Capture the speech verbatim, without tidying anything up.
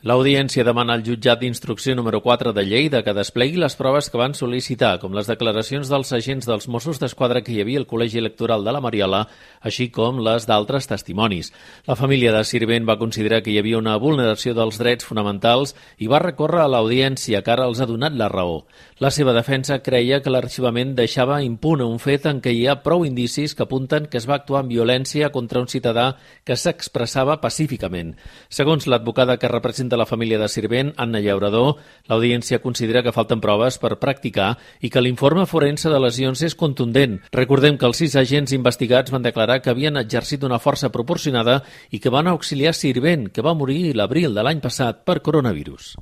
L'Audiència demana al jutjat d'instrucció número quatre de Lleida que desplegui les proves que van sol·licitar, com les declaracions dels agents dels Mossos d'Esquadra que hi havia al Col·legi Electoral de la Mariola, així com les d'altres testimonis. La família de Sirvent va considerar que hi havia una vulneració dels drets fonamentals i va recórrer a l'Audiència, que ara els ha donat la raó. La seva defensa creia que l'arxivament deixava impune un fet en què hi ha prou indicis que apunten que es va actuar amb violència contra un ciutadà que s'expressava pacíficament. Segons l'advocada que representa de la família de Sirvent, Anna Llaurador, l'Audiència considera que falten proves per practicar i que l'informe forense de lesions és contundent. Recordem que els sis agents investigats van declarar que havien exercit una força proporcionada i que van auxiliar Sirvent, que va morir l'abril de l'any passat per coronavirus.